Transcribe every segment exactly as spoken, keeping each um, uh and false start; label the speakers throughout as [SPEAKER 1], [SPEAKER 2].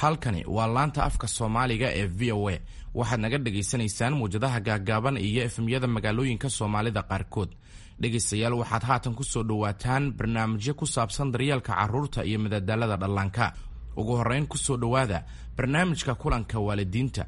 [SPEAKER 1] Halkani waa laanta afka Soomaaliga ee V O A. Waxaad naga dhagaysanaysaan muwjadaha gaaggaaban iyo F M-yada magaalooyinka Soomaalida qaarkood. Dhegaystayaal, waxaad haatan ku soo dhowaataan barnaamijyo ku saabsan daryeelka carruurta iyo madadaalada dhallaanka. Ugu horrayn, ku soo dhowaada barnaamijka kulanka waalidiinta.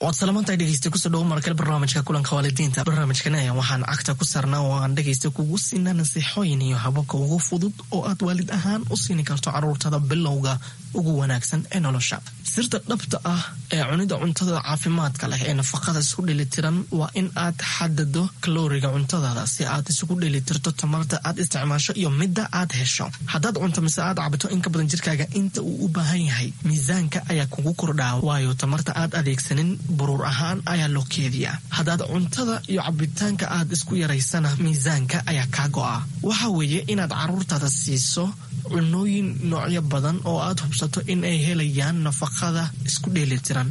[SPEAKER 2] Waad salamantahay, dhegeysta. Kusoo dhawo markale barnaamijka kulanka waalidiinta. Barnaamijkan ayaa waxaan cagta ku saarnaa oo aan dhegeysta kugu siinaa nasiixooyin iyo hababka ugu fudud oo aad waalid ahaan u siini karto caruurtada bilowga ugu wanaagsan ee nolosha. Sirta dhabta ah ee cunida cuntada caafimaadka leh ee nafaqada isku dheelitiran waa in aad xadado kalooriga cuntadaada si aad isugu dheelitirto tamarta aad isticmaasho iyo midda aad hesho. Haddaad cunto mise aad cabto in ka badan jirkaaga inta uu u baahan yahay, miisaanka ayaa kugu kordhaa, waayo tamarta aad adeegsanin buruur ahaan ayaa loo keediyaa. Haddaad cuntada iyo cabitaanka aad isku yaraysana, miisaanka ayaa kaa go'a. Waxa weeye inaad caruurtaada siiso cunooyin noocyo badan oo aad hubsato in ay helayaan nafaqada isku dheelitiran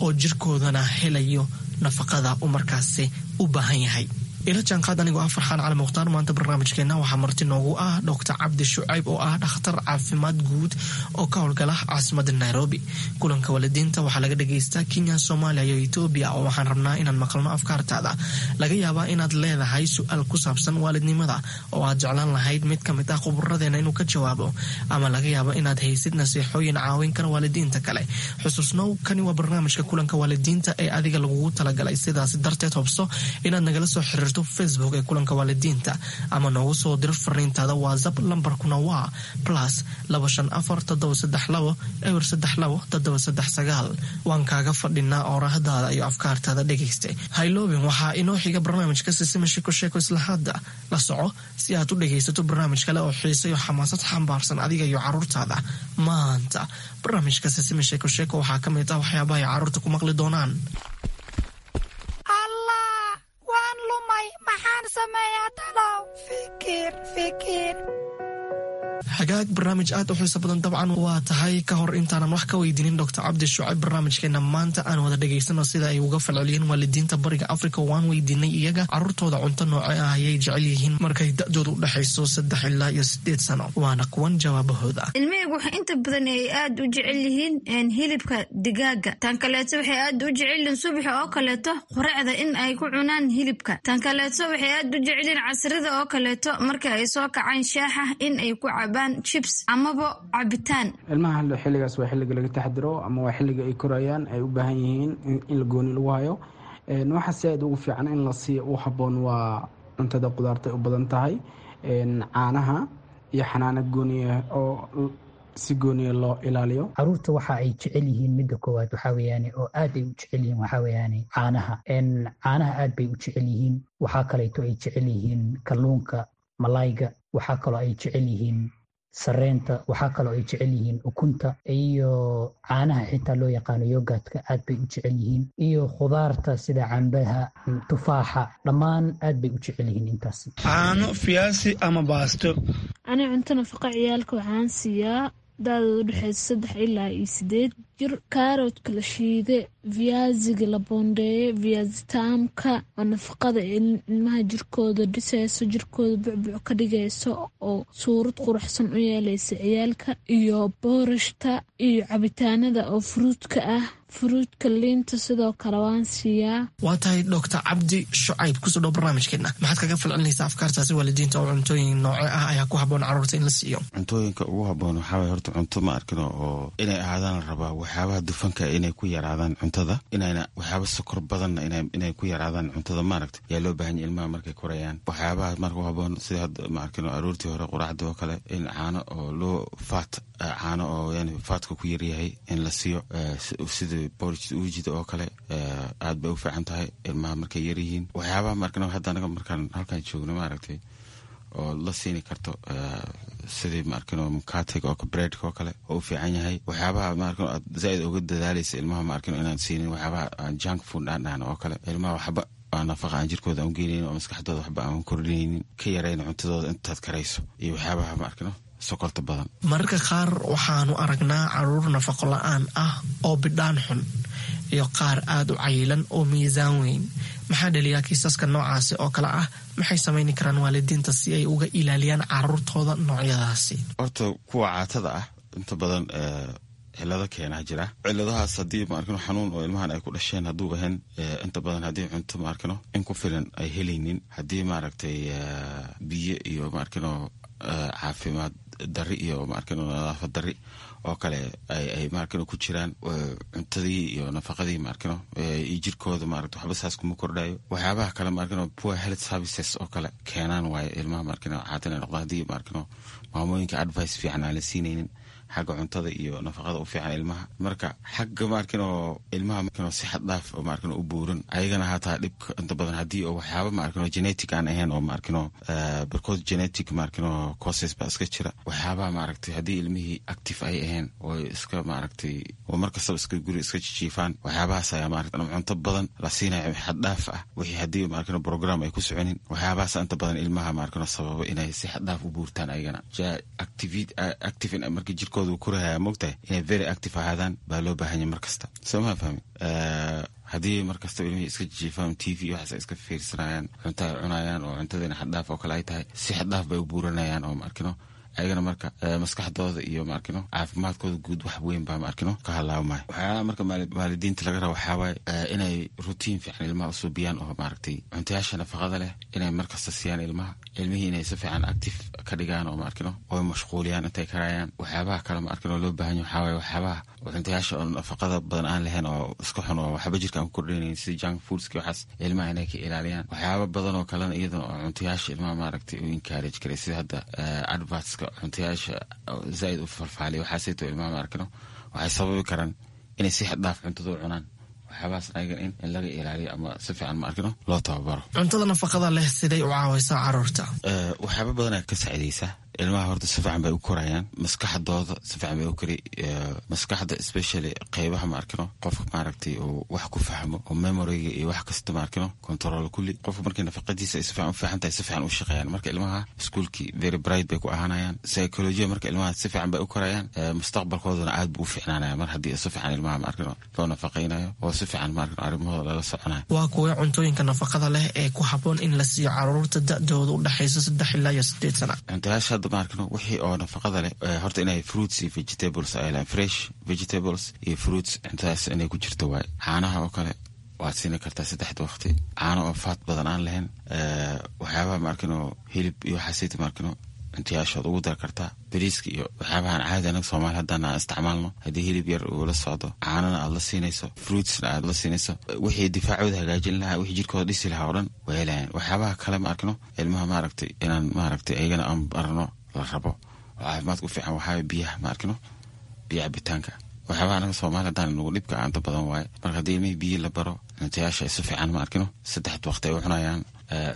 [SPEAKER 2] oo jirkoodana helayo nafaqada uu markaasi u baahan yahay. Ila jaanqaad anigoo ah Farxaan Cali Mukhtaar. Maanta barnaamijkeena waxaa marti noogu ah Doctor Cabdi Shucayb oo ah dhakhtar caafimaad guud oo ka howlgala caasimada Nairobi. Kulanka waalidiinta waxaa laga dhagaystaa Kenya, Soomaaliya iyo Etoobiya, oo waxaan rabnaa inaan maqalno afkaartaada. Laga yaabaa inaad leedahay su-aal ku saabsan waalidnimada oo aad jeclaan lahayd mid kamid ah khuburadeena inuu ka jawaabo, ama laga yaabo inaad haysid nasiixooyin caawin kara waalidiinta kale. Xusuusnow, kani waa barnaamijka kulanka waalidiinta ee adiga lagugu talagalay. Sidaas darteed, hubso inaad nagala soo xiriirto Facebook ee kulanka waalidiinta ama noogu soo diro fariintaada WhatsApp. Lambarkuna waa plus laba shan afar toddoba saddex labo eber saddex labo toddoba saddex sagaal. Waan kaaga fadhinaa oorahdaada iyo afkaartaada, dhegaysta. Hayloobin, waxaa inoo xiga barnaamijka Sisima Sheko Sheeko. Isla hadda la soco si aad u dhegaysato barnaamij kale oo xiise iyo xamaasad xambaarsan adiga iyo caruurtaada. Maanta barnaamijka Sisima Sheeko Sheeko waxaa ka mid ah waxyaabaha ay caruurta ku maqli doonaan:
[SPEAKER 3] Allah, waan lumay! Maxaan sameeyaa talow? Fikir, fikir.
[SPEAKER 2] Hagaag, barnaamij aad u xiiso badan dabcan waa tahay. Ka hor intaanan wax ka weydiinin Doctor Cabdi Shucayb barnaamijkeena maanta, aan wada dhegaysano sida ay uga falceliyeen waalidiinta Bariga Africa. Waan weydiinay iyaga caruurtooda cunto nooce ah ayay jecel yihiin markay da-dooda u dhexayso saddex ilaa iyo sideed sano. Waana kuwan jawaabahooda.
[SPEAKER 4] Ilmahaygu waxay inta badan ay aad u jecel yihiin hilibka digaaga. Tan kaleeto, waxay aad u jecel yihiin subaxa oo kaleeto quracda in ay ku cunaan hilibka. Tan kaleeto, waxay aad u jecel yihiin casrida oo kaleeto marka ay soo kacaan shaaxa in ay ku cabaan chips amaba cabitaan.
[SPEAKER 5] Ilmaha xilligaas waa xilliga laga taxdiro ama waa xilliga ay korayaan, ay u baahan yihiin in la gooni lagu hayo. Waxa si aad ugu fiican in la siiyo u habboon waa cuntada qudaarta ay u badan tahay, caanaha iyo xanaano gooniya oo si gooniya loo ilaaliyo.
[SPEAKER 6] Caruurta waxa ay jecel yihiin, midda koowaad waxaa weeyaane oo aad ay u jecel yihiin, waxaa weeyaane caanaha. Caanaha aad bay u jecel yihiin. Waxaa kaleeto ay jecel yihiin kalluunka, malayga. Waxaa kaloo ay jecel yihiin sareenta. Waxaa kaloo ay jecel yihiin ukunta iyo caanaha xitaa loo yaqaano yogurtka, aad bay u jecel yihiin, iyo khudaarta sida cambaha, tufaaxa, dhammaan aad bay u jecel yihiin intaas.
[SPEAKER 7] Caano, fiyaasi ama baasto.
[SPEAKER 8] Ani cunto nafaqa ciyaalka waxaan siiyaa da-dooda udhexeysa saddex ilaa iyo sideed jir kaaroodka la shiide, viyaasiga la boondeeye, viyaasitaamka oo nafaqada ilmaha jirkooda dhiseyso, jirkooda bucbuc ka dhigayso oo suurad quruxsan u yeeleysa ciyaalka, iyo boorashta iyo cabitaanada oo fruitka ah, fruitka, liinta sidoo kale waan siiyaa.
[SPEAKER 2] Waa tahay. Doctor Cabdi Shucayb, kusoo dhow barnaamijkeena. Maxaad kaga falcelinaysaa afkaartaasi waalidiinta oo cuntooyin nooce ah ayaa ku habboon caruurta in la siiyo?
[SPEAKER 9] Cuntooyinka ugu habboon waxaa waye horta cunto ma arkino oo inay ahaadaan la rabaa waxyaabaha dufanka inay ku yaraadaan cuntada, inayna waxyaaba sokor badanna inay ku yaraadaan cuntada, maaragta, yaa loo baahan yahy ilmaha markay korayaan. Waxyaabaha marka u habboon sida hadda, ma arkino, aroortii hore quraacda oo kale in caano oo loo fat, caano oo yani fatka ku yaryahay in la siiyo, sida porridge uujida oo kale, aad bay u fiican tahay ilmaha markay yaryihiin. Waxyaabaha maarkino hadda anaga markaan halkaan joogno, maaragtay, oo la siini karto sidii, maarkino, mukatega oo breadka oo kale oo u fiican yahay. Waxyaabaha, maarkino, aad zaaid uga dadaalaysa ilmaha, maarkino, inaan siinin waxyaabaha aan junk food aan dhahno oo kale, ilmaha waxba aan nafaqa aan jirkooda aan u geenaynin oo maskaxdooda waxba aan kordhinaynin, ka yarayna cuntadooda intaad karayso, iyo waxyaabaha, maarkino, sokorta badan.
[SPEAKER 2] Mararka qaar waxaanu aragnaa caruur nafaqo la-aan ah oo bidhaan xun iyo qaar aada u cayilan oo miisaan weyn. Maxaa dhaliyaa kiisaska noocaasi oo kale ah? Maxay samayni karaan waalidiinta si ay uga ilaaliyaan caruurtooda noocyadaasi?
[SPEAKER 9] Horta kuwa caatada ah inta badan cilado keenaa jira. Ciladahaas haddii maarkino xanuun oo ilmahan ay ku dhasheen hadduu ahayn, inta badan haddii cunto maarkino in ku filan ay helaynin, haddii maaragtay biyo iyo maarkino caafimaad dari iyo maarkino nadaafad dari oo kale ay maarkino ku jiraan, cuntadii iyo nafaqadii maarkino iyo jirkooda maaragta waxba saas kuma kordhayo. Waxyaabaha kale maarkino poor health services oo kale keenaan waaye ilmaha maarkino caata inay noqdaan, haddii maarkino maamooyinka advice fiican aan la siinaynin xagga cuntada iyo nafaqada u fiican ilmaha. Marka xagga maarkino ilmaha maarkino si xad dhaaf oo maarkino u buuran ayagana hataa dhibka inta badan haddii oo waxyaaba maarkino genetic aan ahayn oo maarkino barkood genetic maarkino causes baa iska jira. Waxyaabaha maaragtay haddii ilmihii active ay ahayn oo iska maaragtay oo markastaba iska guri iska jijiifaan, waxyaabahaas ayaa maaragtay cunto badan la siinaya xad dhaaf ah, wixii haddii maarkino program ay ku soconin, waxyaabahaas inta badan ilmaha maarkino sababa inay si xad dhaaf u buurtaan ayagana. Active marka jirkooda korahaya mogtahay inay very active ahaadaan baa loo baahanya mar kasta, soo maa fahmi? Haddii mar kastaba ilmihii iska jijiifaan, T V waxaas ay iska fiirsanayaan, cunto ay cunayaan oo cuntadiina xaddhaaf oo kale ay tahay, si xaddhaaf bay u buuranayaan oo maarkino ayagana marka maskaxdooda iyo maarkino caafimaadkooda guud wax weyn baa maarkino ka halaabmaya. Waxyaalaha marka waalidiinta laga raba waxaa waaye inay routine fiican ilmaha usuubiyaan oo maaragtay cuntayaasha nafaqada leh inay markasta siiyaan ilmaha, ilmihii inay si fiican active ka dhigaan oo maarkino oo mashquuliyaan intay karayaan. Waxyaabaha kale maarkino loo baahan yahay waxaa waaye waxyaabaha cuntayaasha oo nafaqada badan aan lahayn oo iska xun oo waxba jirka aan ku kordhinayn, sida junk foodski waxaas ilmaha inay ka ilaaliyaan. Waxyaaba badan oo kalena iyadana oo cuntayaasha ilmaha maaragtay u encourage karay, sida hadda advertska cuntayaasha zaaid u falfaaliya, waxaasayto ilmaha maarkino waxay sababi karaan inay si xad dhaaf cuntada u cunaan. Waxyaabahaas ayagan in in laga ilaaliyo ama si fiican maarkino loo tababaro.
[SPEAKER 2] Cuntada nafaqada leh siday u caawaysaa caruurta?
[SPEAKER 9] Waxyaaba badan ayaa ka saacidaysa ilmaha. Horta si fiican bay u korayaan, maskaxdooda si fiican bay u kori, maskaxda especially qeybaha maarkino qofka maaragtay uu wax ku fahmo oo memoryga iyo wax kasta maarkino control kulli. Qofka markii nafaqadiisa ay si fiican u fiican tahay, si fiican u shaqeeyaan. Marka ilmaha iskuulkii very bright bay ku ahaanayaan, psychology marka ilmaha si fiican bay u korayaan, mustaqbalkoodana aad buu u fiicnaanaya mar haddii si fiican ilmaha maarkino loo nafaqaynayo oo si fiican maarkino arrimahooda lala soconayo.
[SPEAKER 2] Waa kuwee cuntooyinka nafaqada leh ee ku habboon in la siiyo caruurta da-dooda u dhexayso saddex ilaa iyo sideed sana?
[SPEAKER 9] Cuntayaasha hadda maarkino wixii oo nafaqada leh horta inay fruits iyo vegetables ay lahayn, fresh vegetables iyo fruits cuntadaas inay ku jirto waaye. Caanaha oo kale waad siini kartaa saddexda waqti, caano oo faat badan aan lahayn. Waxyaabaha maarkino hilib iyo waxaasayta maarkino cuntayaashood ugu dar kartaa, bariiska iyo waxyaabahan caadi anaga Soomaali haddana aan isticmaalno. Haddii hilib yar uu la socdo, caanana aad la siinayso, fruitsna aad la siinayso, wixii difaacooda hagaajin lahaa, wixii jirkooda dhisi lahaa oo dhan way helayaan. Waxyaabaha kale ma arkino ilmaha maaragtay inaan maaragtay ayagana aan barno la rabo oo caafimaadka u fiican waxaa biyaha ma arkino, biyo cabitaanka. Waxyaabaha anaga Soomaali haddaan nagu dhibka inta badan waaye. Marka haddii ilmihii biyo la baro, cuntayaasha si fiican ma arkino saddexda waqti ay u cunayaan,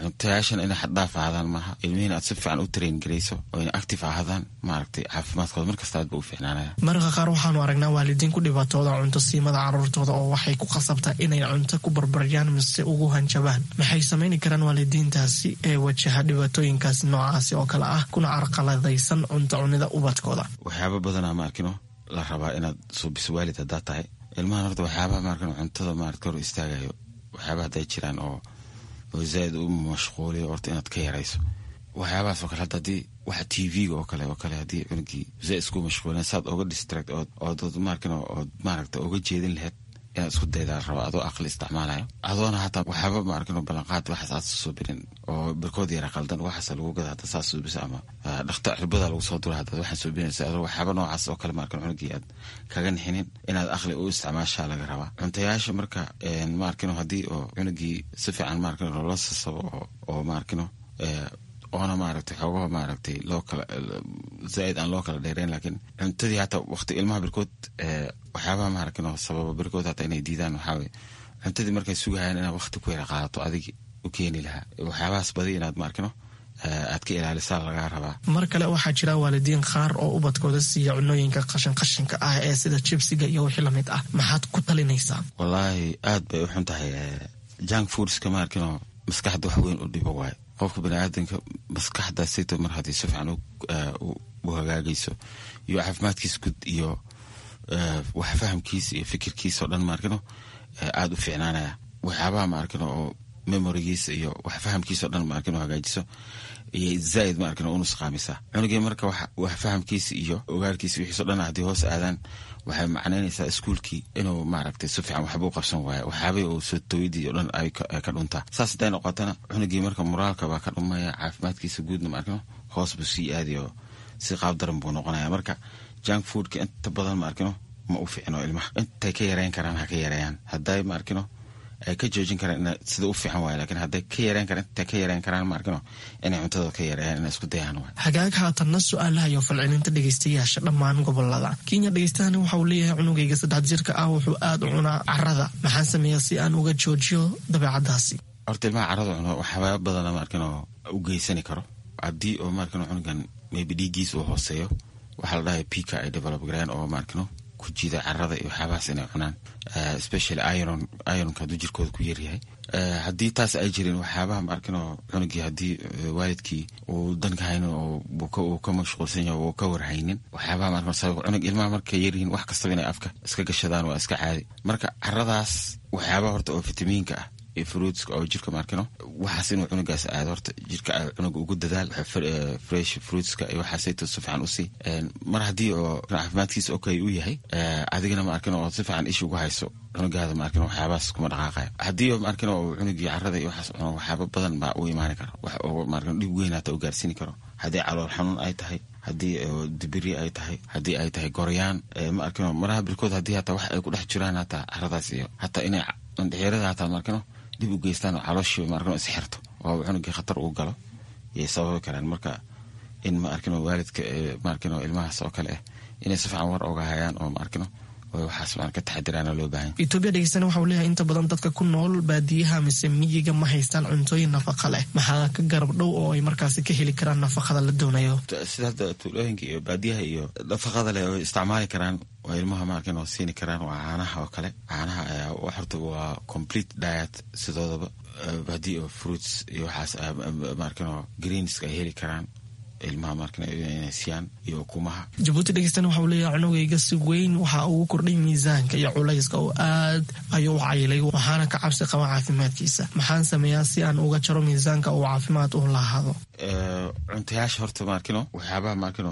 [SPEAKER 9] cuntayaashan inay xaddhaaf ahaadaan maaha, ilmihiina aad si fiican u train garayso oo inay active ahaadaan, maaragtay caafimaadkooda markasta aad ba u fiicnaanaya.
[SPEAKER 2] Mararka qaar waxaanu aragnaa waalidiin ku dhibaatooda cunto siimada caruurtooda oo waxay ku khasabtaa inay cunto ku barbaryaan mise ugu hanjabaan. Maxay samayni karaan waalidiintaasi ee wajaha dhibaatooyinkaasi noocaasi oo kale ah kuna carqaladaysan cunto cunida ubadkooda?
[SPEAKER 9] Waxyaaba badanaa ma arkino la rabaa inaad suubiso waalid haddaa tahay ilmahan. Horta waxyaabaha maarkino cuntada maarata hor istaagayo, waxyaabaha hadday jiraan oo oo zaaid u mashquuliyo, horta inaad ka yarayso waxyaabahaas oo kale. Hadda haddii waxa T V-ga oo kale oo kale haddii cunugii zaaid isku mashquulin, saad oga distract ood ood maarkino ood maaragta oga jeedin lahayd inaad isku daydaa rabo, adoo aqli isticmaalayo, adoona hataa waxyaaba maarkino ballanqaad waxaas aad suubinin oo barkood yara qaldan waxaas lagu gada hadda saas suubisa ama dhakta cirbada lagu soo dura haddaad waxaan suubinaysa, adoo waxyaaba noocaas oo kale maarkino cunugii aad kaga nixinin, inaad aqli u isticmaashaa laga rabaa cuntayaasha. Marka maarkino haddii oo cunugii si fiican maarkino loola sasabo oo oo maarkino oona maaragtay xoogaha maaragtay loo kala zaaid aan loo kala dheereyn, laakiin cuntadii hataa waqti ilmaha barkood waxyaabaha maaragtay sababa barkood hataa inay diidaan waxaa weye cuntadii markay sugahayaan inaad waqti ku yara qaadato adigi u keeni lahaa, waxyaabahaas badi inaad maarkino aad ka ilaalisaa lagaa rabaa.
[SPEAKER 2] Mar kale waxaa jira waalidiin qaar oo ubadkooda siiya cunooyinka qashin qashinka ah ee sida jibsiga iyo wixii lamid ah. Maxaad ku talinaysaa?
[SPEAKER 9] Wallaahi aad bay u xun tahay junk foodska, maarkino maskaxda wax weyn u dhibo waayo. Qofka baniaadanka maskaxdaasayto mar haddii si fiican u hagaagayso iyo caafimaadkiisa guud iyo wax fahamkiisa iyo fikirkiisa oo dhan maarkino aada u fiicnaanaya. Waxyaabaha maarkino oo Memorigiisa iyo wax fahamkiisa o dhan, ma arkin, hagaajiso iyo zaaid, ma arkin, u nusqaamisaa cunugii. Marka wax fahamkiisa iyo ogaalkiisa wixiiso dhan haddii hoos aadaan, waxay macnaynaysaa iskuulkii inuu, maaragtay, si fiican waxba u qabsan waayo, waxyaabay uu soo tooyadii o dhan ay ka dhuntaa. Saas hadday noqotana, cunugii marka moraalka baa ka dhumaya, caafimaadkiisa guudna, ma arkino, hoos buu sii aadayo, si qaab daran buu noqonaya. Marka junk foodka inta badan, ma arkino, ma u fiicno ilmaha. Intay ka yareyn karaan ha ka yareeyaan. Hadday, ma arkino, ay ka joojin karaan, sida u fiican waay, lakin hadday ka yareyn karaan, intay ka yareyn karaan, ma arkino, inay cuntada ka yareeyaan, inay isku dayaan waay.
[SPEAKER 2] Hagaag, haatanna su-aalaha iyo falcelinta dhegeystayaasha dhammaan gobolada Kenya. Dhegeystahani waxa uu leeyahay: cunugayga saddex jirka ah wuxuu aada u cunaa carada, maxaan sameeyaa si aan uga joojiyo dabeecadaasi?
[SPEAKER 9] Horta ilmaha carada cuno waxyaaba badana, ma arkino, u geysani karo. Haddii oo, ma arkino, cunugan maybe dhiiggiisa uu hooseeyo, waxaa la dhahay pica ay develop gareen oo, ma arkino, ku jiida carada iyo waxyaabahaas inay cunaan, especially iron. Ironka hadduu jirkooda ku yaryahay, haddii taas ay jirin, waxyaabaha, ma arkino, cunugii haddii waalidkii uu danka haynin oo uu ka mashquulsan yahay, uu ka warhaynin waxyaabaha, ma arkino, sabab cunug ilmaha markay yaryihiin wax kastaba inay afka iska gashadaan waa iska caadi. Marka caradaas waxyaabaha horta oo fitamiinka ah iyo fruitska oo jirka, ma arkino, waxaas inuu cunugaas aado horta jirka cunuga ugu dadaal, fresh fruitska iyo waxaasayto si fiican usii. Mar haddii oo caafimaadkiisa okay u yahay, adigana, ma arkino, oo si fiican isha ugu hayso cunugaada, ma arkino, waxyaabahaas kuma dhaqaaqayo. Haddii oo, ma arkino, oo cunugii carada iyo waxaas cuno, waxyaaba badan baa u imaani kara, wax oo, ma arkino, dhib weyn hata u gaarsiini karo. Haddii calool xanuun ay tahay, haddii dibiri ay tahay, haddii ay tahay goryaan, ma arkino, maraha birkood haddii hataa wax ay ku dhex jiraan hataa caradaas iyo hataa inay indhexyarada hataa, ma arkino, dib u geystaan oo calooshii, ma arkino, isxirto oo cunugii khatar uu galo yay sababi karaan. Marka in, ma arkino, waalidka, ma arkino, ilmahaas oo kale ah inay si fiican war oga hayaan oo, ma arkino, waxaas maan ka taxadiraana loo baahan.
[SPEAKER 2] Etoobiya dhegeystana waxa uu leeyahay: inta badan dadka ku nool baadiyaha mise miyiga ma haystaan cuntooyin nafaqa leh, maxaa ka garab dhow oo ay markaasi ka heli karaan nafaqada la doonayo?
[SPEAKER 9] Sida hadda tuulooyinka iyo baadiyaha iyo nafaqada leh oo isticmaali karaan oo ilmaha, ma arkin, oo siini karaan waa caanaha oo kale. Caanaha ayaa horta waa complete diet sidoodaba. Haddii oo fruits iyo waxaas, ma arkin, oo greenska ay heli karaan ilmaha, markan inay siiyaan iyo ukumaha.
[SPEAKER 2] Jabuuti dhegeystana waxa uu leeyahay: cunugayga si weyn waxa uu kordhay miisaanka iyo culayska oo aad ayuu u cayilay, waxaana ka cabsi qaba caafimaadkiisa. Maxaan sameeyaa si aan uga jaro miisaanka uu caafimaad u lahaado?
[SPEAKER 9] Cuntayaasha horta, maarkino, waxyaabaha, maarkino,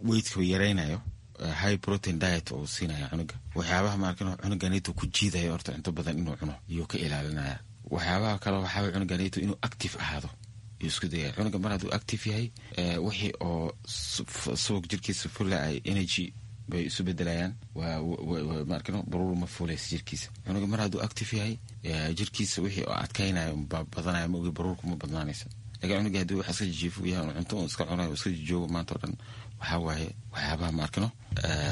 [SPEAKER 9] weightka yaraynayo, high protein diet uu siinaya cunuga. Waxyaabaha, maarkino, cunuganito ku jiidayo horta cunto badan inuu cuno iyuu ka ilaalinaya. Waxyaabaha kale waxaa cunuganito inuu active ahaado yuu isku dayaya. Cunuga mar hadduu active yahay, wixii oo subag jirkiisa fula ay energy bay isu bedelayaan, maarkino, baruur ma fuulaysa jirkiisa. Cunuga mar hadduu active yahay, jirkiisa wixii oo adkaynayo baa badanaya, ma ogi, baruurku ma badnaanaysa. Lakin cunuga haddii wax iska jijiifo yahay, cunto un iska cunayo, iska jijoogo maanta o dhan, waxaa waaye waxyaabaha, maarkino,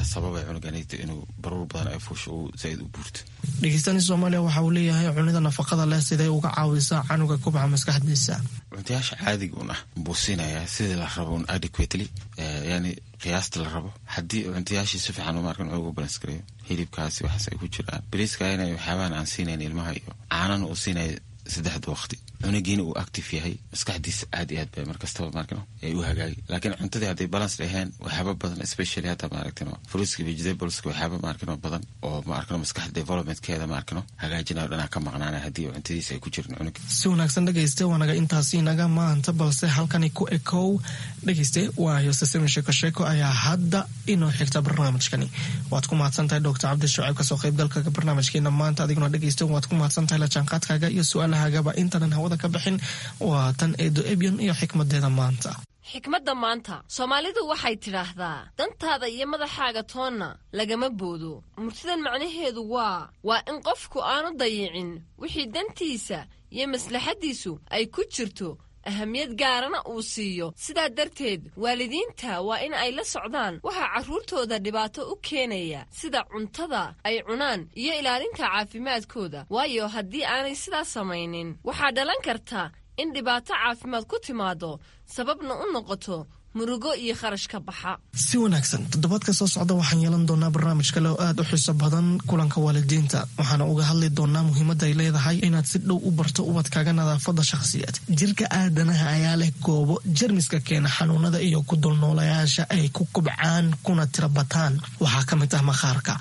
[SPEAKER 9] sababay cunuganita inuu baruur badan ay fuusho, uu zaaid u buurto.
[SPEAKER 2] Dhegeystani Soomaaliya waxa uu leeyahay: cunida nafaqada leh siday uga caawisaa canuga kubca maskaxdiisa?
[SPEAKER 9] Cuntayaasha caadiga un ah buu siinayaa sidii la rabo un, adequately, yani qiyaasta la rabo. Haddii cuntayaashii si fiican, maarkan, cunuga balance gareeyo, hilibkaasi waxaas ay ku jiraan, bariiska inay waxyaabahan aan siinayn ilmaha iyo caanana uu siinaya saddexda waqti, cunugiina uu active yahay, maskaxdiisa aad iyo aad bay markastaba, maarkino, ay u hagaagi. Laakiin cuntadii hadday balance ahayn, waxyaaba badan, especially hadda, maaragtino, fruitska, vegetables, waxyaaba, maarkino, badan oo, maarkino, maskaxda developmentkeeda, maarkino, hagaajinayo dhanaa ka maqnaanay haddii cuntadiisa ay ku jirin cunuga.
[SPEAKER 2] Si wanaagsan dhegayste, waanaga intaasi naga maanta, balse halkani ku ekow dhegayste, waayo sasemi sheeko sheeko ayaa hadda inoo xigta barnaamijkani. Waad ku mahadsan tahay Doctor Cabdi Shucayb kasoo qaybgalka barnaamijkeena maanta. Adiguna dhegayste waad ku mahadsan tahay la jaanqaadkaaga iyo su-aalahagaba. Intaanan hawada ka bixin, waa tan Eedo Ebyan iyo xikmadeeda maanta.
[SPEAKER 10] Xikmadda maanta, Soomaalidu waxay tidhaahdaa: dantaada iyo madaxaaga toonna lagama boodo. Murtidan macnaheedu waa waa in qofku aanu dayicin wixii dantiisa iyo maslaxaddiisu ay ku jirto, ahamiyad gaarana uu siiyo. Sidaa darteed waalidiinta waa in ay la socdaan waxaa carruurtooda dhibaato u keenaya, sida cuntada ay cunaan iyo ilaalinta caafimaadkooda, waayo haddii aanay sidaas samaynin waxaa dhalan karta in dhibaato caafimaad ku timaado, sababna u noqoto murugo iyo kharash ka baxa.
[SPEAKER 2] Si wanaagsan, toddobaadka soo socda waxaan yeelan doonaa barnaamij kale oo aad u xiiso badan, kulanka waalidiinta. Waxaana uga hadli doonaa muhiimadda ay leedahay inaad si dhow u barto ubadkaaga nadaafadda shakhsiyeed. Jirka aadanaha ayaa leh goobo jermiska keena xanuunada iyo ku dulnoolayaasha ay ku kubcaan kuna tirabataan. Waxaa ka mid ah maqaarka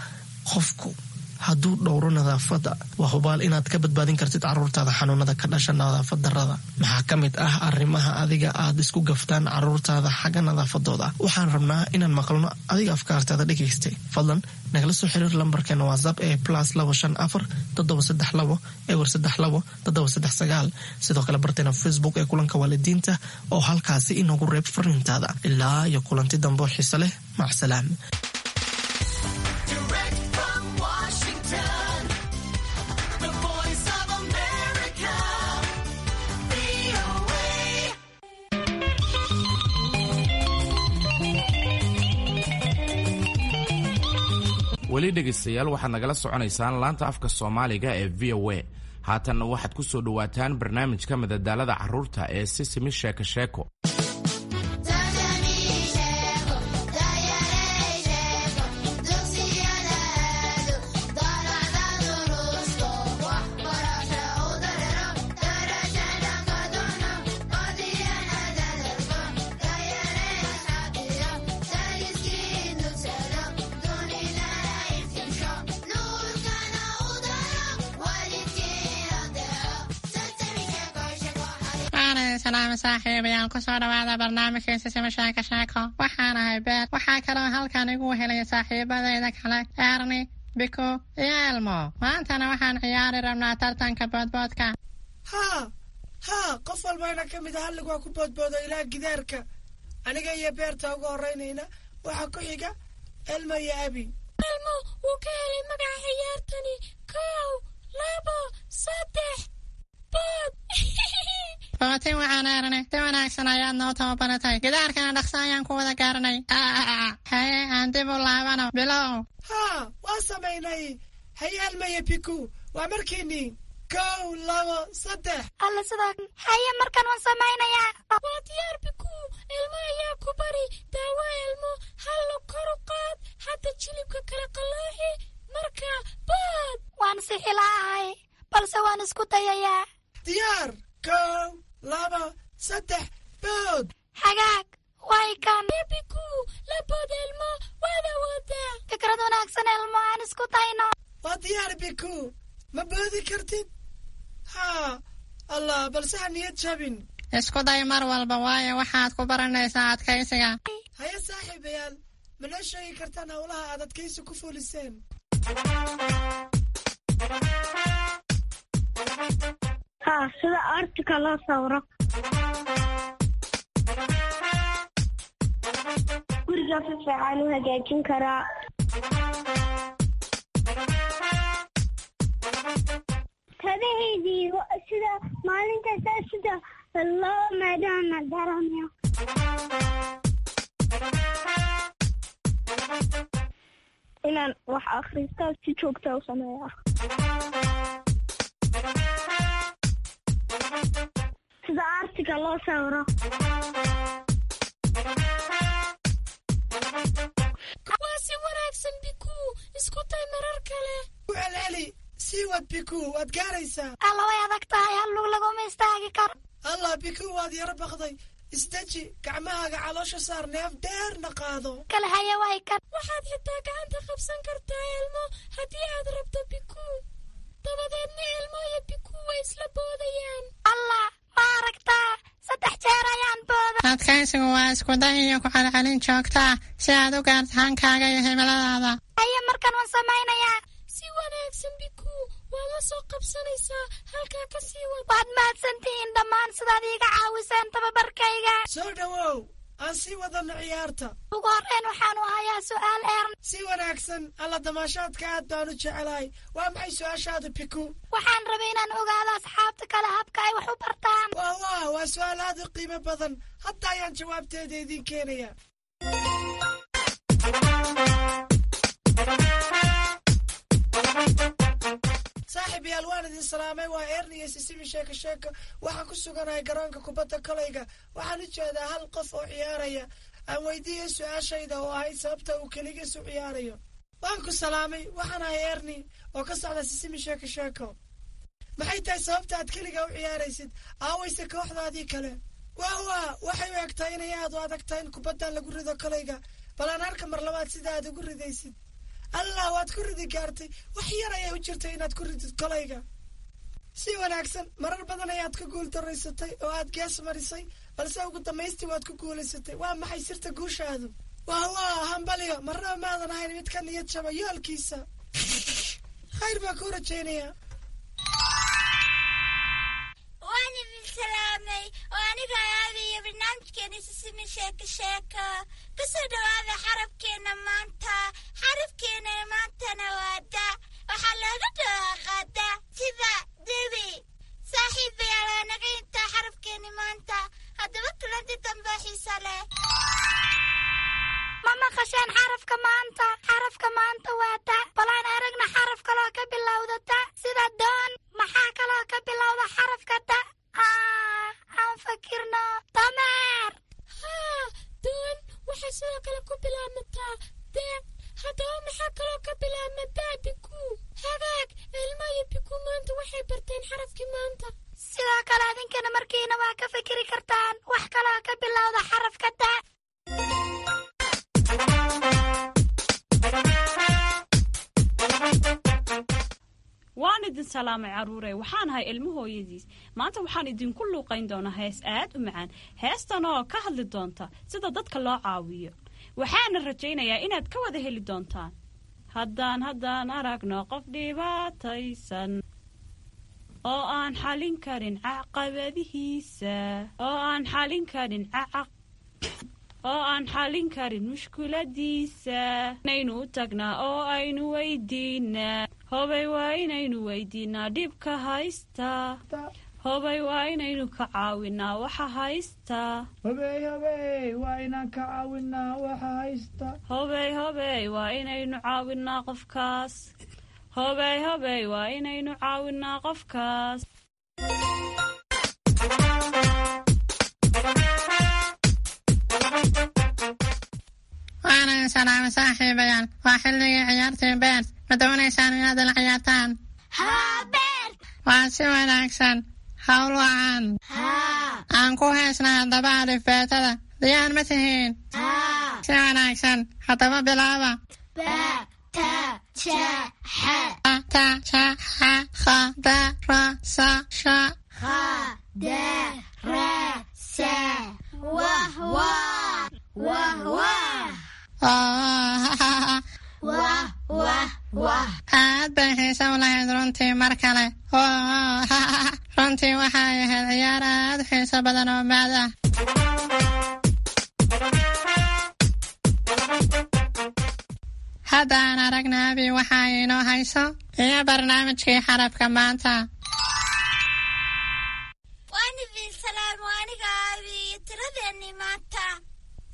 [SPEAKER 2] qofku. hadduu dhowro nadaafadda, waa hubaal inaad ka badbaadin kartid caruurtaada xanuunada ka dhasha nadaafad darrada. Maxaa ka mid ah arrimaha adiga aad isku gaftaan caruurtaada xagga nadaafadooda? Waxaan rabnaa inaan maqalno adiga afkaartaada dhegaystay. Fadlan nagala soo xiriir lambarkeena WhatsApp ee plus labo shan afar toddoba saddex labo ewer saddex labo toddoba saddex sagaal. Sidoo kale barteena Facebook ee Kulanka Waalidiinta oo halkaasi inoogu reeb fariintaada. Ilaa iyo kulanti dambe oo xiise leh, macsalaam.
[SPEAKER 11] Direct from Washington, the voice of America, V O A.
[SPEAKER 1] Weli dhegaystayaal, waxaad nagala soconaysaan laanta afka Soomaaliga ee V O A. Haatanna waxaad ku soo dhowaataan barnaamijka madadaalada carruurta ee Sisimi Sheeko Sheeko.
[SPEAKER 12] Salaam saaxiibayaal, kusoo dhawaada barnaamijka Sisima Sheeko Sheeko. Waxaan ahay Beer. Waxaa kaloo halkan igu helaya saaxiibadayda kale Erni, Biko iyo Elmo. Maantana waxaan ciyaari rabnaa tartanka boodboodka.
[SPEAKER 7] Haa haa, qof walbayna ka mid a hallig waa ku boodboodo ilaa gidaarka. Aniga iyo Beerta ugu horraynayna, waxaa ku xiga Elmo iyo Abi.
[SPEAKER 3] Elmo wuu ka helay magaca ciyaartani. Kow, labo, saddex, bood!
[SPEAKER 12] Bootin waxaan Erne, si wanaagsan ayaad noo tababaratay. Gidaarkana dhaqso ayaan ku wada gaaranay. Haye, aan dib u laabano. Bilow!
[SPEAKER 7] Haa, waa samaynay. Haye Elmo iyo Biku, waa markiinii. Kow, labo, saddex!
[SPEAKER 3] Alla, sidaa. Haye, markan waan samaynayaa. Waa diyaar, Biku. Elmo ayaa ku bari daawo. Elmo, hallo, kor u qaad hadda jilibka kala qalooxi, marka bood!
[SPEAKER 4] Waan sixilaahay, balse waan isku dayayaa.
[SPEAKER 7] Diyaar! Kow, laba, saddex, bood!
[SPEAKER 4] Hagaag, way kan.
[SPEAKER 3] Biku, la bood Elmo, waad awoodaa.
[SPEAKER 4] Fikrad wanaagsan, Elmo, aan isku dayno.
[SPEAKER 7] Waa diyaar, Biku. Ma boodi kartid? Haa, Allah, balse ha niyad jabin.
[SPEAKER 12] Isku day mar walba, waayo waxaad ku baranaysaa adkaysiga.
[SPEAKER 7] Haye saaxiibayaal, ma noo sheegi kartaan howlaha aad adkaysi ku fuliseen?
[SPEAKER 13] Haa, sida artika loo sawiro. Guriga si fiican u hagaajin karaa. Kabahaydii sida maalin kasta sida loo maydhana garanayo. Inaan wax akhristo si joogta u sameeya. Sida artiga loo sawiro.
[SPEAKER 3] Waa si wanaagsan, Biku. Isku day marar kale.
[SPEAKER 7] Ku celceli, sii wad Biku, waad gaaraysaa.
[SPEAKER 4] Alla, way adag tahay, hal lug laguma istaagi karo.
[SPEAKER 7] Allah, Biku, waad yaro baqday. Isdeji, gacmahaaga caloosha saar, neef dheerna qaado.
[SPEAKER 4] Kale, haye, way kan.
[SPEAKER 3] Waxaad xitaa gacanta qabsan kartaa Elmo haddii aad rabto, Biku. Dabadeedna Elmo iyo Biku way isla boodayaan.
[SPEAKER 4] Allah, ma aragtaa? Saddex jeer ayaan booda.
[SPEAKER 12] Adkaysigu waa isku day iyo ku celcelin joogta ah si aad u gaarto hankaaga iyo himiladaada.
[SPEAKER 4] Haye, markan waan samaynayaa.
[SPEAKER 3] Si wanaagsan, Biku. Waad la soo qabsanaysaa, halkaa ka sii wad.
[SPEAKER 4] Waad mahadsantihiin dhammaan sidaad iiga caawiseen tababarkayga.
[SPEAKER 7] Soo dhowow, aan sii wadano ciyaarta.
[SPEAKER 4] Ugu horreyn waxaanu hayaa su'aal, Ern.
[SPEAKER 7] Si wanaagsan. Alla, damaashaadka aad baan u jecelahay. Waa maxay su'aashaadu, Biku?
[SPEAKER 4] Waxaan rabay inaan ogaado asxaabta kale habka ay wax u bartaan.
[SPEAKER 7] Wah wah, waa su'aal aad u qiimo badan. Hadda ayaan jawaabteeda idiin keenaya. Saaxiibayaal, waan idin salaamay. Waa Erni iyo Sisimi Sheeko Sheeko. Waxaan ku suganahay garoonka kubadda kolayga. Waxaan u jeedaa hal qof oo ciyaaraya. Aan weydiiyey su-aashayda oo ahayd sababta uu keligiis u ciyaarayo. Waan ku salaamay. Waxaan ahay Erni oo ka socda Sisimi Sheeko Sheeko. Maxay tahay sababta aad keliga u ciyaaraysid? Aawayse kooxdaadii kale? Wah wah, waxay u egtahay inay aad u adag tahay in kubaddan lagu rido kolayga. Bal aan arka mar labaad sida aad ugu ridaysid. Allah, waad ku ridi gaartay. Wax yar ayaa u jirtay inaad ku ridid kolayga. Si wanaagsan, marar badan ayaad ku guultaraysatay oo aad gees marisay, balse ugu dambaystii waad ku guulaysatay. Waa maxay sirta guushaadu? Wah wah, hambaliyo. Marnaba maadan ahayn mid ka niyad jaba yoolkiisa. Khayr baa kuu rajaynayaa.
[SPEAKER 14] Waan idin salaamay oo aniga aabiyo barnaamijkeena Sisimi Sheeko Sheeko. Kusoo dhawaada xarafkeena maanta. Xarafkeena maantana waa da. Waxaa looga dhawaaqaa da sida debi. Saaxiibayaal, waa naga intaa xarafkeeni maanta. Haddaba kulanti dambe xiisa leh.
[SPEAKER 3] Ma maqasheen xarafka maanta? Xarafka maanta waa ta. Bal aan aragna xaraf kaloo ka bilowda ta sida doon. Maxaa kaloo ka bilowda xarafka ta? Aan fakirno. Dameer.
[SPEAKER 15] Haa, doon waxay sidoo kale ku bilaabmataa de. Haddaba maxaa kaloo ka bilaabma da, Biku? Hagaag, Ilma iyo Biku maanta waxay barteen xarafkii maanta.
[SPEAKER 3] Sidoo kale adinkana markiina waa ka fikiri kartaan wax kaloo ka bilowda xarafka ta.
[SPEAKER 16] Waan idin salaamay, carruurey. Waxaan ahay Ilmo hooyadiis. Maanta waxaan idinku luuqayn doonaa hees aad u macaan, heestan oo ka hadli doonta sida dadka loo caawiyo. Waxaana rajaynayaa inaad ka wada heli doontaan. Haddaan haddaan aragno qof dhibaataysan oo aan xalin karin caqabadihiisa, oo aan xalin karin caq oo aan xalin karin mushkuladiisa, inaynu u tagnaa oo aynu weydiinaa. Hobay, waa inaynu weydiinaa dhibka haysta. Hobay, waa inaynu ka caawinaa waxa haysta.
[SPEAKER 7] Hobey, hobey, waa inaan ka caawinaa waxa haysta.
[SPEAKER 16] Hobey, hobey, waa inaynu caawinaa qofkaas. Hobey, hobey, waa inaynu caawinaa qofkaas.
[SPEAKER 12] Waana salaamay, saaxiibayaal. Waa xilligii ciyaartii Beert. Ma doonaysaan inaad la ciyaartaan?
[SPEAKER 14] Haa, Beert.
[SPEAKER 12] Waa si wanaagsan. Hawl wacan. Aan ku heesna haddaba alifbeetada. Diyaar ma tihiin? Si wanaagsan, haddaba bilaaba.
[SPEAKER 14] Ba, ta, ja, xa.
[SPEAKER 12] Ta, ja, xa, kha, da, ra, sa, sha.
[SPEAKER 14] Kha, da, ra, sa. Wah, wah. Wah, wah. Wah, wah, wah.
[SPEAKER 12] Aad bay xiise u lahayd runtii. Mar kale. Runtii waxay ahayd ciyaar aad u xiiso badan oo maad ah. Hadda aan aragna Abi waxa ay inoo hayso iyo barnaamijkii xarafka maanta.
[SPEAKER 14] Waan idin salaam, waa aniga aabi iyo tiradeenni maanta.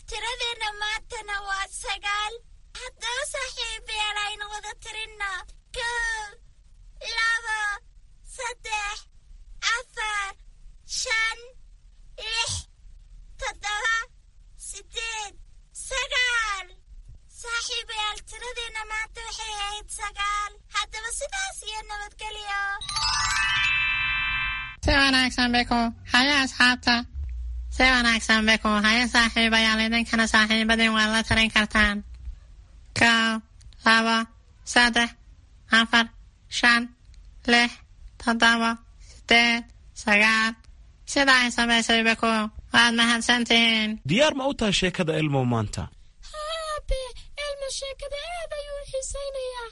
[SPEAKER 14] Tiradeenna maantana waa sagaal. Haddaba saaxiibayaal, aynu wada tirinno. Kow, labo, saddex, afar, shan, lix, toddoba, sideed, sagaal. Saaxiibayaal, tiradeenna maanta waxay ahayd sagaal. Haddaba sidaas iyo nabadgelyo.
[SPEAKER 12] Si wanaagsan, Beko. Haya, asxaabta. Si wanaagsan, Beko. Haya, saaxiibayaal, idinkana saaxiibadin waad la tarin kartaan. Kow, labo, saddex, afar, shan, lix, toddoba, sideed, sagaal, sida ay samaysay Beko. Waad mahadsantihiin.
[SPEAKER 17] Diyaar ma u tahay sheekada Ilmow maanta?
[SPEAKER 3] Haa, aabe. Elmo sheekada aad ayuu u xiisaynayaa.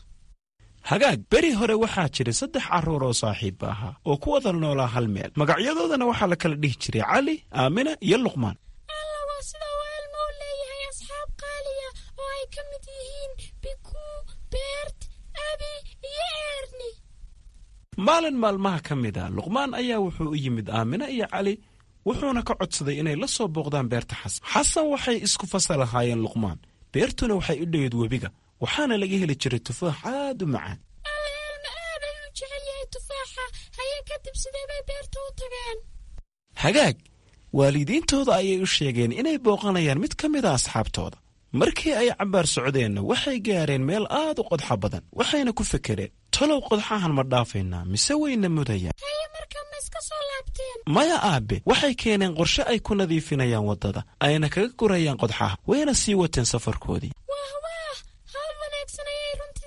[SPEAKER 17] Hagaag, beri hore waxaa jiray saddex carruur oo saaxiibba ahaa oo ku wada noolaa hal meel. Magacyadoodana waxaa la kala dhihi jiray Cali, Aamina iyo Luqmaan.
[SPEAKER 3] Alla, waa sida uu Elmo u leeyahay asxaab qaaliya oo ay ka mid yihiin Bikuu, Beert, Abi iyo Erni.
[SPEAKER 17] Maalin maalmaha ka mid a, Luqmaan ayaa wuxuu u yimid Aamina iyo Cali, wuxuuna ka codsaday inay la soo booqdaan beerta Xasan. Xasan waxay isku fasal ahaayeen Luqmaan. Beertuna waxay u dhoweyd webiga, waxaana laga heli jiray tufaax aad u macaan.
[SPEAKER 3] Alla, Elmo aad ayuu jecel yahay tufaaxa. Haye, kadib sidee bay beerta u tageen?
[SPEAKER 17] Hagaag, waalidiintooda ayay u sheegeen inay booqanayaan mid ka mid a asxaabtooda. Markii ay cabbaar socdeenna, waxay gaareen meel aad u qodxa badan, waxayna ku fekereen: talow qodxahan ma dhaafaynaa mise wayna mudayaan?
[SPEAKER 3] Haye, markaa ma iska soo laabteen?
[SPEAKER 17] Maya, aabe. Waxay keeneen qorshe ay ku nadiifinayaan waddada ayna kaga gurayaan qodxaha, wayna sii wateen safarkoodii.
[SPEAKER 3] Wah wah, hawl wanaagsan ayay runtii.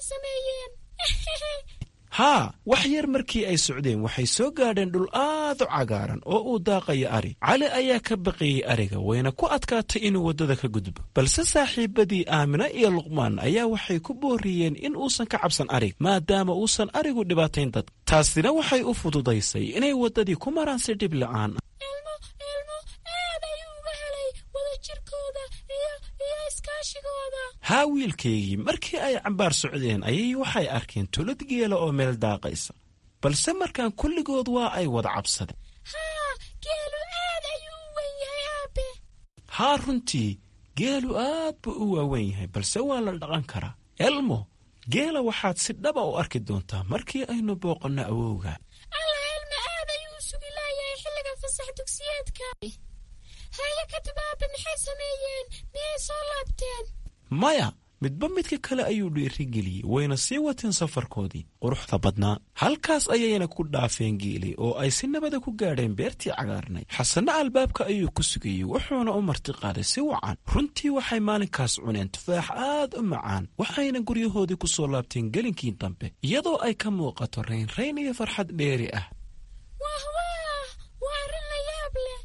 [SPEAKER 17] Haa, wax yar markii ay socdeen waxay soo gaadheen dhul aad u cagaaran oo uu daaqayo ari. Cali ayaa ka baqayey ariga, wayna ku adkaatay inuu waddada ka gudbo, balse saaxiibadii Aamina iyo Luqmaan ayaa waxay ku booriyeen in uusan ka cabsan arig, maadaama uusan arigu dhibaatayn dadka. Taasina waxay u fududaysay inay waddadii ku maraan si dhib la'aan ah.
[SPEAKER 3] Elmo, Elmo aad ayuu uga helay wadajirkooda iyo iyo iskaashigooda.
[SPEAKER 17] Haa wiilkaygii, markii ay cambaar socdeen ayay waxay arkeen tulad geela oo meel daaqaysa, balse markaan kulligood waa ay wada cabsadeen.
[SPEAKER 3] Haa, geelu aad ayuu u weyn yahay, aabe.
[SPEAKER 17] Haa, runtii geelu aad buu u waawen yahay, balse waa la dhaqan karaa. Elmo, geela waxaad si dhaba u arki doontaa markii aynu booqanno awowga.
[SPEAKER 3] Alla, Elmo aad ayuu u sugi laayahay xilliga fasax dugsiyeedka. Haye, kadib aabe maxay sameeyeen? Miyay soo laabteen?
[SPEAKER 17] Maya, midba midka kale ayuu dhiirigeliyey, wayna sii wateen safarkoodii quruxda badnaa. Halkaas ayayna ku dhaafeen geeli oo ay si nabada ku gaadheen beertii cagaarnay. Xasanna albaabka ayuu ku sugayey, wuxuuna u martiqaaday si wacan. Runtii waxay maalinkaas cuneen tufaax aad u macaan, waxayna guryahoodii ku soo laabteen gelinkii dambe, iyadoo ay ka muuqato raynrayn iyo farxad dheeri ah.
[SPEAKER 3] Wah wah, waa arrin la yaab leh.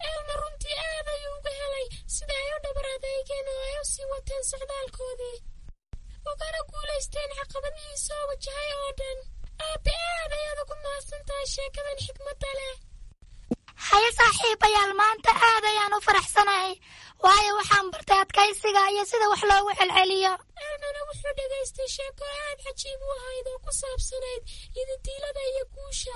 [SPEAKER 3] Elmo runtii aad ayuu uga helay sida ay u dhabar adeygeen oo ay u sii wateen socdaalkoodii, ugana guulaysteen caqabadihii soo wajahay oo dhan. Aabe, aad ayaad ugu mahadsan tahay sheekadan xikmadda leh.
[SPEAKER 14] Haye saaxiibayaal, maanta aad ayaan u faraxsanahay, waayo waxaan bartay adkaysiga iyo sida wax loogu celceliyo.
[SPEAKER 3] Elmona wuxuu dhegaystay sheeko aad cajiib u ahayd oo ku saabsanayd yididiilada iyo guusha.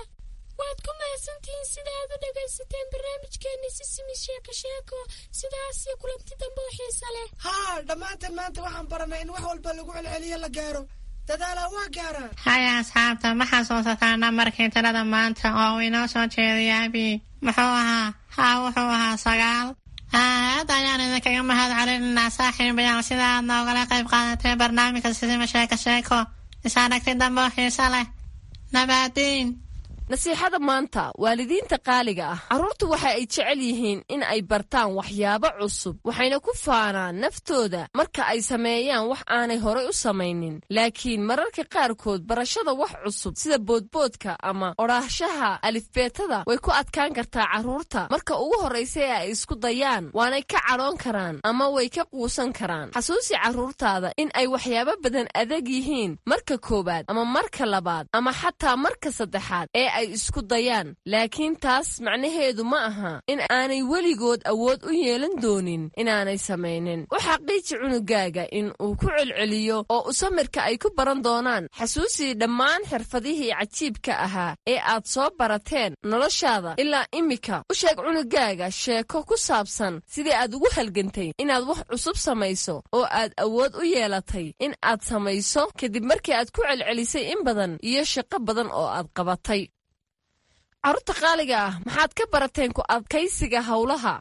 [SPEAKER 3] Waad ku mahadsantihiin sida aad u dhegaysateen barnaamijkeenni Sisimi Sheeko Sheeko. Sidaas iyo kulanti dambe oo xiisa leh.
[SPEAKER 7] Haa, dhammaanteen maanta waxaan baranay in wax walba lagu celceliyo la gaaro. Dadaalaa waa gaaraa.
[SPEAKER 12] Haya asxaabta, ma xasuusataa nambarkii tirada maanta oo uu inoo soo jeediyay Abi? Muxuu ahaa? Haa, wuxuu ahaa sagaal. Aad ayaan idinkaga mahad celinaynaa saaxiibayaal sida aad noogala qayb qaadatay barnaamijka Sisima Sheeko Sheeko. Is aragti dambe oo xiiso leh. Nabaadiin.
[SPEAKER 10] Nasiixada maanta, waalidiinta qaaliga ah, carruurtu waxa ay jecel yihiin in ay bartaan waxyaabo cusub, waxayna ku faanaan naftooda marka ay sameeyaan wax aanay horay u samaynin. Laakiin mararka qaarkood barashada wax cusub sida boodboodka ama odhaahshaha alifbeetada way ku adkaan kartaa carruurta marka ugu horraysa ee ay isku dayaan, waanay ka cadhoon karaan ama way ka quusan karaan. Xasuusi carruurtaada in ay waxyaabo badan adag yihiin marka koowaad ama marka labaad ama xataa marka saddexaad ee ay isku dayaan, laakiin taas macnaheedu ma aha in aanay weligood awood u yeelan doonin inaanay samaynin. U xaqiiji cunugaaga in uu ku celceliyo oo u samirka ay ku baran doonaan. Xasuusii dhammaan xirfadihii cajiibka ahaa ee aad soo barateen noloshaada ilaa immika. U sheeg cunugaaga sheeko ku saabsan sidii aad ugu halgantay inaad wax cusub samayso oo aad awood u yeelatay in aad samayso kadib markii aad ku celcelisay in badan iyo shaqo badan oo aad qabatay. Carruurta qaaliga ah, maxaad ka barateen ku adkaysiga howlaha?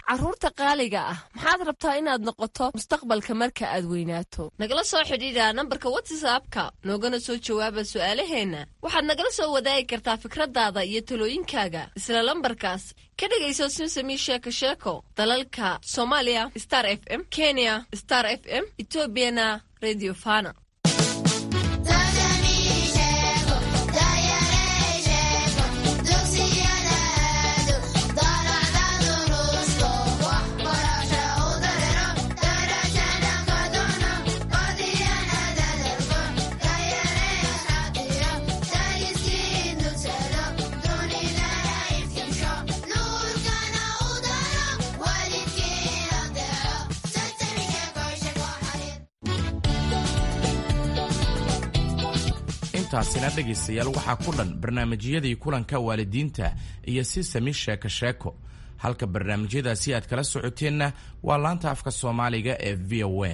[SPEAKER 10] Carruurta qaaliga ah, maxaad rabtaa inaad noqoto mustaqbalka marka aad weynaato? Nagala soo xidhiidha nambarka WhatsAppka, noogana soo jawaaba su'aalaheenna. Waxaad nagala soo wadaagi kartaa fikradaada iyo talooyinkaaga isla lambarkaas. Ka dhegayso Simsami Sheeko Sheeko dalalka Soomaaliya Star F M, Kenya Star F M, Etoobiyana Radio Fana.
[SPEAKER 1] Intaasina dhegaystayaal waxaa ku dhan barnaamijyadii kulanka waalidiinta iyo Sisami Sheeko Sheeko. Halka barnaamijyadaasi aad kala socoteenna waa laanta afka Soomaaliga ee V O A.